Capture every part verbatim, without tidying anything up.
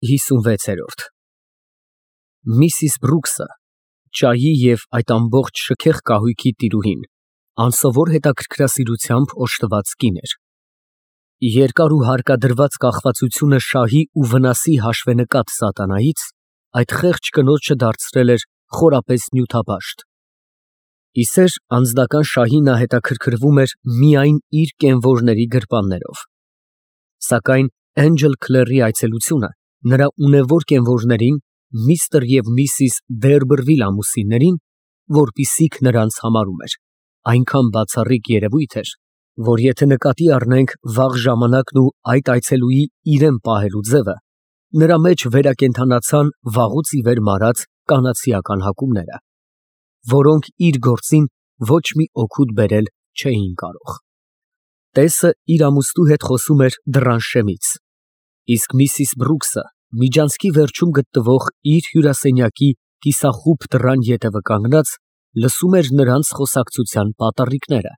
ՀԻսունվեցերորդ Միսիս Բրուքսը, ճայի և այդ ամբողջ շքեղ կահույքի տիրուհին, անսովոր հետաքրքրասիրությամբ օժտված կին էր։ Երկար ու հարկադրված կախվածությունը շահի ու վնասի հաշվենկատ սատանայից այդ խեղճ կնոջը դարձրել էր խորապես նյութաբաշտ։ Իսեր անձնական շահի նա հետաքրքրվում էր միայն իր կենվորների գրպաններով։ Սակայն Էնջել Քլերի այցելությունը նրա ունևոր կենվորներին, միստր և միսիս Դերբրվիլ ամուսիններին, որպիսիք նրանց համարում էր, այնքան բացառիկ երևույթ էր, որ եթե նկատի առնենք վաղ ժամանակն ու այդ այցելուի իրեն պահելու ձևը, նրա մեջ վերակենդանացան վաղուց ի վեր մարած կանացիական հակումները, որոնք իր գործին ոչ մի օգուտ բերել չէին կարող։ Տեսը իր ամուսնու հետ խոսում էր դռան շեմից, իսկ միսիս Բրուքսը միջանցքի վերջում գտնվող իր հյուրասենյակի կիսախուբ դռան ետևը կանգնած լսում էր նրանց խոսակցության պատառիկները,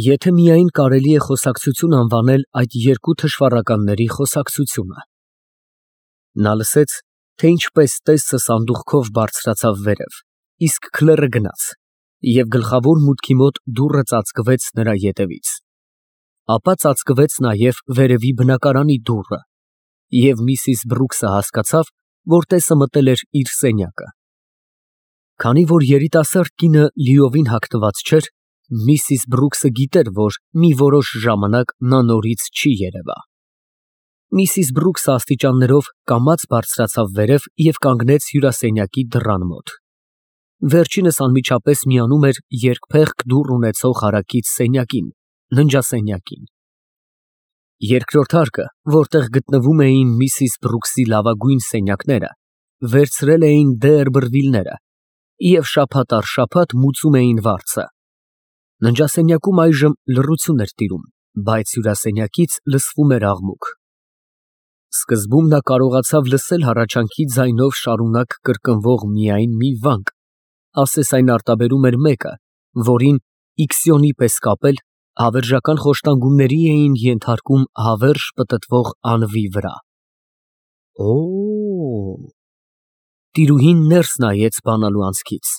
եթե միայն կարելի է խոսակցություն անվանել այդ երկու թշվառականների խոսակցությունը։ Նա լսեց, թե ինչպես տեսը սանդուղքով բարձրացավ վերև, իսկ Քլերը գնաց, և գլխավոր մուտքի մոտ դուռը ծածկվեց նրա ետևից։ Ապա ծածկվեց նաև վերևի բնակարանի դուռը, և միսիս Բրուքսը հասկացավ, որ տեսը մտել էր իր սենյակը։ Քանի որ երիտասարդ կինը լիովին հագնված չէր, միսիս Բրուքսը գիտեր, որ մի որոշ ժամանակ նա նորից չի երևա։ Միսիս Բրուքսը աստիճաններով կամաց բարձրացավ վերև և կանգնեց հյուրասենյակի դռան մոտ։ Վերջինս անմիջապես միանում էր երկփեղկ դուռ ունեցող հարակից սենյակին, ննջասենյակին։ Երկրորդ հարկը, որտեղ գտնվում էին միսիս Բրուքսի լավագույն սենյակները, վերցրել էին Դերբրվիլները և շաբաթ առ շաբաթ մուծում էին վարձը։ Ննջասենյակում այժմ լռություն էր տիրում, բայց հյուրասենյակից լսվում էր աղմուկ։ Սկզբում նա կարողացավ լսել հառաչանքի ձայնով շարունակ կրկնվող միայն մի վանք, ասես այն արտաբերում էր մեկը, որին իքսիոնի պես կապել, հավերժական խոշտանգումների էին ենթարկում հավերժ պտտվող անվի վրա։ Օ, տիրուհին ներս նայեց բանալու անցքից։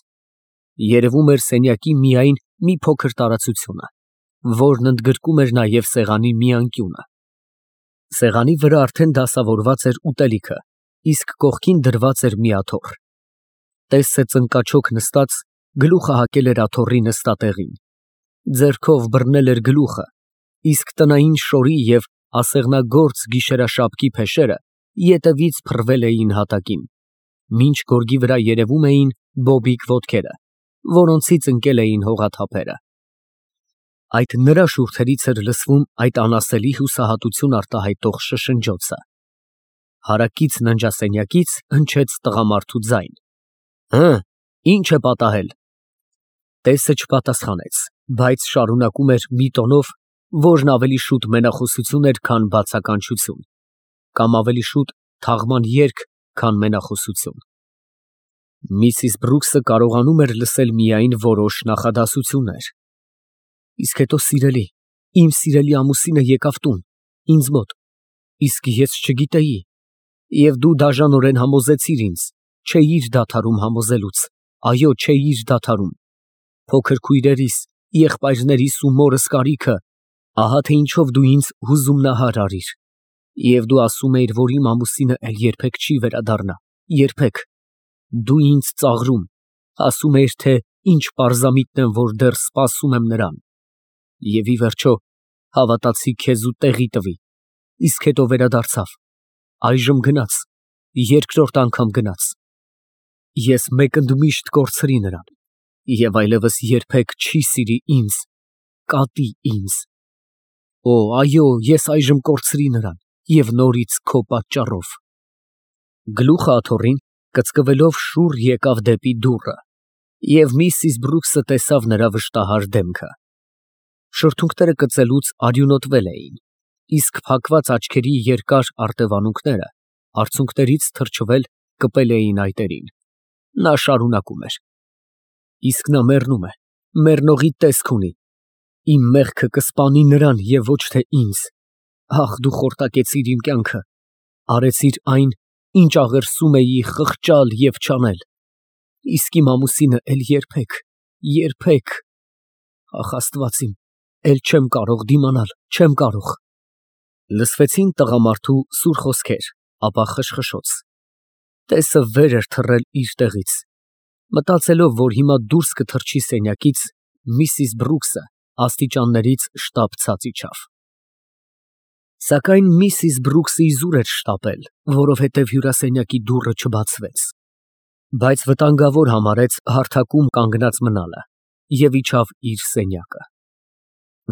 Երևում էր սենյակի միայն մի փոքր տարածությունը, որն ընդգրկում էր նաև սեղանի մի անկյունը։ Սեղանի վրա արդեն դասավորված էր ուտելիքը, իսկ կողքին դրված էր մի աթոռ։ Տեսը ծնկաչոք նստած, գլուխը հակել էր աթոռի նստատեղին, ձեռքով բռնել էր գլուխը, իսկ տնային շորի և ասեղնագործ գիշերաշաբկի փեշերը ետևից փռվել էին հատակին, մինչ գորգի վրա երևում էին բոբիկ ոտքերը, որոնցից ընկել էին հողաթափերը։ Այդ նրա շուրթերից էր լսվում այդ անասելի հուսահատություն արտահայտող շշնջոցը։ Հարակից ննջասենյակից հնչեց տղամարդու ձայն. Հը, ի՞նչ է պատահել։ Տեսը չպատասխանեց, բայց շարունակում էր մի տոնով, որն ավելի շուտ մենախոսություն էր, քան բացականչություն, կամ ավելի շուտ թաղման երգ, քան մենախոսություն։ Միսիս Բրուքսը կարողանում էր լսել միայն որոշ նախադասություններ։ Իսկ հետո, սիրելի, իմ սիրելի ամուսինը եկավ տուն, ինձ մոտ, իսկ ես չգիտեի, և դու դաժանորեն համոզեցիր ինձ, չէիր դադարում համոզելուց, այո, չէիր դադարում, փոքր քույրերիս, եղբայրներիս ու մորս կարիքը, ահա թե ինչով դու ինձ հուզումնահար արիր, և դու ասում էիր, որ իմ ամուսինը էլ երբեք չի վերադառնա, երբեք, դու ինձ ծաղրում, ասում էիր, թե ինչ պարզամիտն եմ, որ դեռ սպասում եմ նրան, և ի վերջո հավատացի քեզ ու տեղի տվի, իսկ հետո վերադարձավ, այժմ գնաց, երկրորդ անգամ գնաց։ Ես մեկ ընդմիշտ կորցրի նրան, և այլևս երբեք չի սիրի ինձ, կատի ինձ։ Օ, այո, ես այժմ կորցրի նրան և նորից քո պատճառով։ Գլուխը աթոռին կծկվելով շուռ եկավ դեպի դուռը, և միսիս Բրուքսը տեսավ նրա վշտահար դեմքը։ Շրթունքները կծելուց արյունոտվել էին, իսկ փակված աչքերի երկար արտևանունքները արցունքներից թրջվել կպել էին այտերին։ Նա շարունակում էր. Իսկ նա մեռնում է, մեռնողի տեսք ունի, իմ մեղքը կսպանի նրան և ոչ թե ինձ, ախ, դու խորտակեցիր իմ կյանքը, արեցիր այն, ինչ աղերսում էի խղճալ և չանել, իսկ իմ ամուսինը էլ երբեք, երբեք… Ախ, Աստված իմ, էլ չեմ կարող դիմանալ, չեմ կարող… Լսվեցին տղամարդու սուր խոսքեր, ապա խշխշոց… Տեսը վեր էր թռել իր տեղից… Մտածելով, որ հիմա դուրս կթռչի սենյակից, միսիս Բրուքսը աստիճաններից շտապ ցած իջավ… Սակայն միսիս Բրուքսը իզուր էր շտապել, որովհետև հյուրասենյակի դուռը չբացվեց… Բայց վտանգավոր համարեց հարթակում կանգնած մնալը և իջավ իր սենյակը…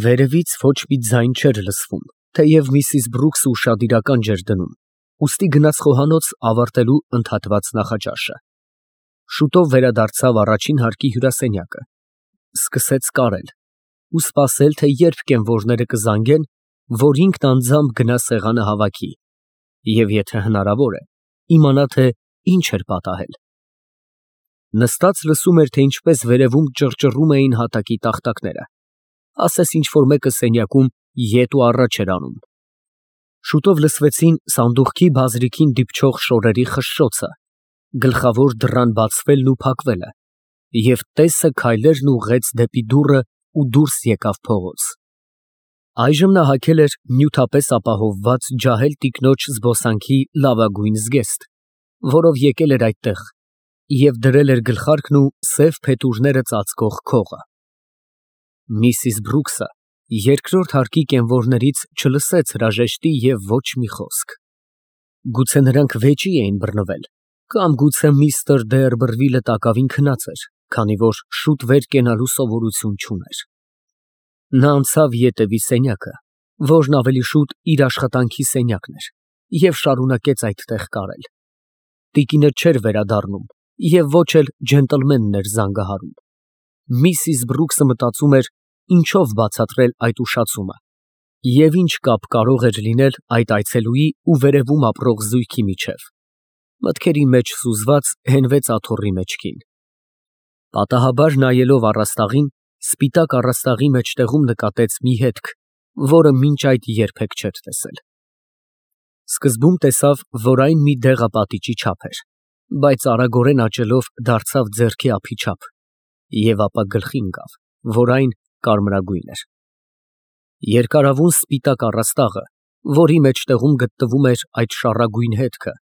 Վերևից ոչ մի ձայն չէր լսվում, թեև միսիս Բրուքսը ուշադիրական ջեր դնում, ուստի գնաց խոհանոց ավարտելու ընդհատված նախաճաշը… Շուտով վերադարձավ առաջին հարկի հյուրասենյակը, սկսեց կարել ու սպասել, թե երբ կենվորները կզանգեն, որ ինքն անձամբ գնա սեղանը հավաքի և, եթե հնարավոր է, իմանա, թե ինչ էր պատահել… Նստած լսում էր, թե ինչպես վերևում ճռճռում էին հատակի տախտակները, ասես ինչ֊որ մեկը սենյակում ետ ու առաջ էր անում… Շուտով լսվեցին սանդուղքի բազրիքին դիպչող շորերի խշշոցը, գլխավոր դռան բացվելն ու փակվելը, և տեսը քայլերն ուղղեց դեպի դուռը ու դուրս եկավ փողոց… Այժմ նա հագել էր նյութապես ապահովված ջահել տիկնոջ զբոսանքի լավագույն զգեստ, որով եկել էր այդտեղ, և դրել էր գլխարկն ու սև փետուրները ծածկող քողը… Միսիս Բրուքսը երկրորդ հարկի կենվորներից չլսեց հրաժեշտի և ոչ մի խոսք… Գուցե նրանք վեճի էին բռնվել, կամ գուցե միստր Դեյրբրվիլը տակավին քնած էր, քանի որ շուտ վեր կենալու սովորություն չուներ… Նա անցավ ետևի սենյակը, որն ավելի շուտ իր աշխատանքի սենյակն էր, և շարունակեց այդտեղ կարել… Տիկինը չէր վերադառնում և ոչ էլ ջենտլմենն էր զանգահարում… Միսիս Բրուքսը մտածում էր ինչով բացատրել այդ ուշացումը և ինչ կապ կարող էր լինել այդ այցելուի ու վերևում ապրող զույգի միջև… Մտքերի մեջ սուզված, հենվեց աթոռի մեջքին… Պատահաբար նայելով առաստաղին, սպիտակ առաստաղի մեջտեղում նկատեց մի հետք, որը մինչ այդ երբեք չէր տեսել… Սկզբում տեսավ, որ այն մի դեղապատիճի չափ էր, բայց արագորեն աճելով դարձավ ձեռքի ափի չափ և ապա գլխի ընկավ, որ այն կարմրագույն էր… Երկարավուն սպիտակ առաստաղը, որի մեջտեղում գտնվում էր այդ շառագույն հետքը,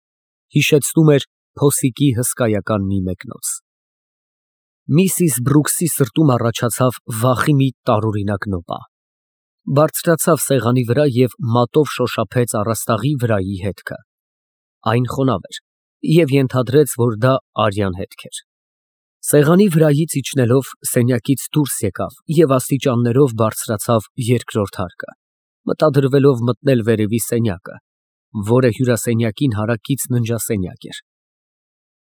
հիշեցնում էր փոսիկի հսկայական մի մեկնոց… Միսիս Բրուքսի սրտում առաջացավ վախի մի տարօրինակ նոպա… Բարձրացավ սեղանի վրա և մատով շոշափեց առաստաղի վրայի հետքը… Այն խոնավ էր և ենթադրեց, որ դա արյան հետք էր… Սեղանի վրայից իջնելով, սենյակից դուրս եկավ և աստիճաններով բարձրացավ երկրորդ հարկը, մտադրվելով մտնել վերևի սենյակը, որը հյուրասենյակին հարակից ննջասենյակ էր…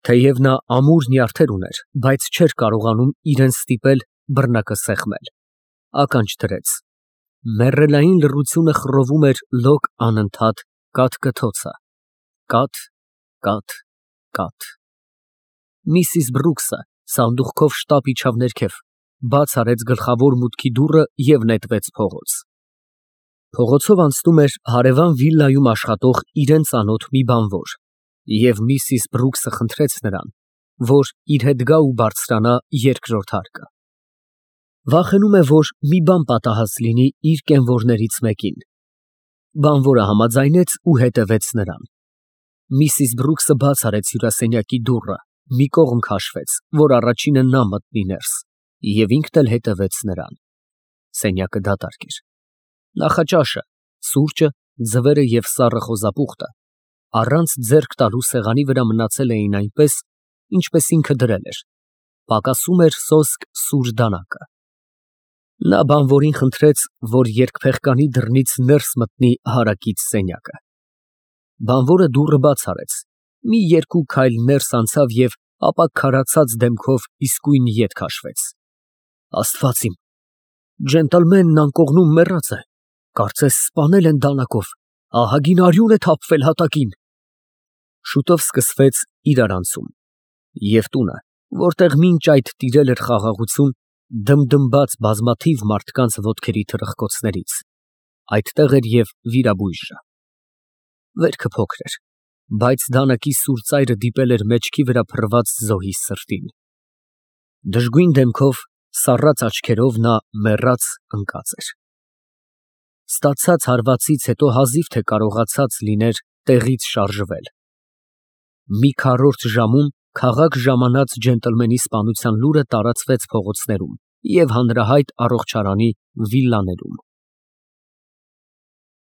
Թեև նա ամուր նյարդեր ուներ, բայց չէր կարողանում իրան ստիպել բռնակը սեղմել… Ականջ դրեց… Մեռելային լռությունը խռովում էր լոկ անընդհատ կաթ֊կթոցը… Կաթ… կաթ… կաթ… Միսիս Բրուքսը սանդուղքով շտապ իջավ ներքև, բաց արեց գլխավոր մուտքի դուռը և նետվեց փողոց… Փողոցով անցնում էր հարևան վիլայում աշխատող իրան ծանոթ մի բանվոր, և միսիս Բրուքսը խնդրեց նրան, որ իր հետ գա ու բարձրանա երկրորդ հարկը… Վախենում է, որ մի բան պատահած լինի իր կենվորներից մեկին… Բանվորը համաձայնեց ու հետևեց նրան… Միսիս Բրուքսը բաց արեց հյուրասենյակի դուռը, մի կողմ քաշվեց, որ առաջինը նա մտնի ներս, և ինքն էլ հետևեց նրան… Սենյակը դատարկ էր… Նախաճաշը, սուրճը, ձվերը և սառը խոզապուխտը առանց ձեռք տալու սեղանի վրա մնացել էին այնպես, ինչպես ինքը դրել էր, պակասում էր սոսկ սուր դանակը… Նա բանվորին խնդրեց, որ երկփեղկանի դռնից ներս մտնի հարակից սենյակը… Բանվորը դուռը բաց արեց, մի երկու քայլ ներս անցավ և ապա քարացած դեմքով իսկույն ետ քաշվեց… Աստված իմ… Ջենտլմենն անկողնում մեռած է, կարծես սպանել են դանակով, ահագին արյուն է թափվել հատակին… Շուտով սկսվեց իրարանցում… Եվ տունը, որտեղ մինչ այդ տիրել էր խաղաղություն, դմդմաց բազմաթիվ մարդկանց ոտքերի թրխկոցներից, այդտեղ էր և վիրաբույժը… Վերքը փոքր էր, Բայց դանակի սուր ծայրը դիպել էր մեջքի վրա փռված զոհի սրտին։ Դժգույն դեմքով, սառած աչքերով նա մեռած ընկած էր։ Ստացած հարվածից հետո հազիվ թե կարողացած լիներ տեղից շարժվել։ Մի քառորդ ժամում քաղաք ժամանած ջենտլմենի սպանության լուրը տարածվեց փողոցներում և հանրահայտ առողջարանի վիլլաներում։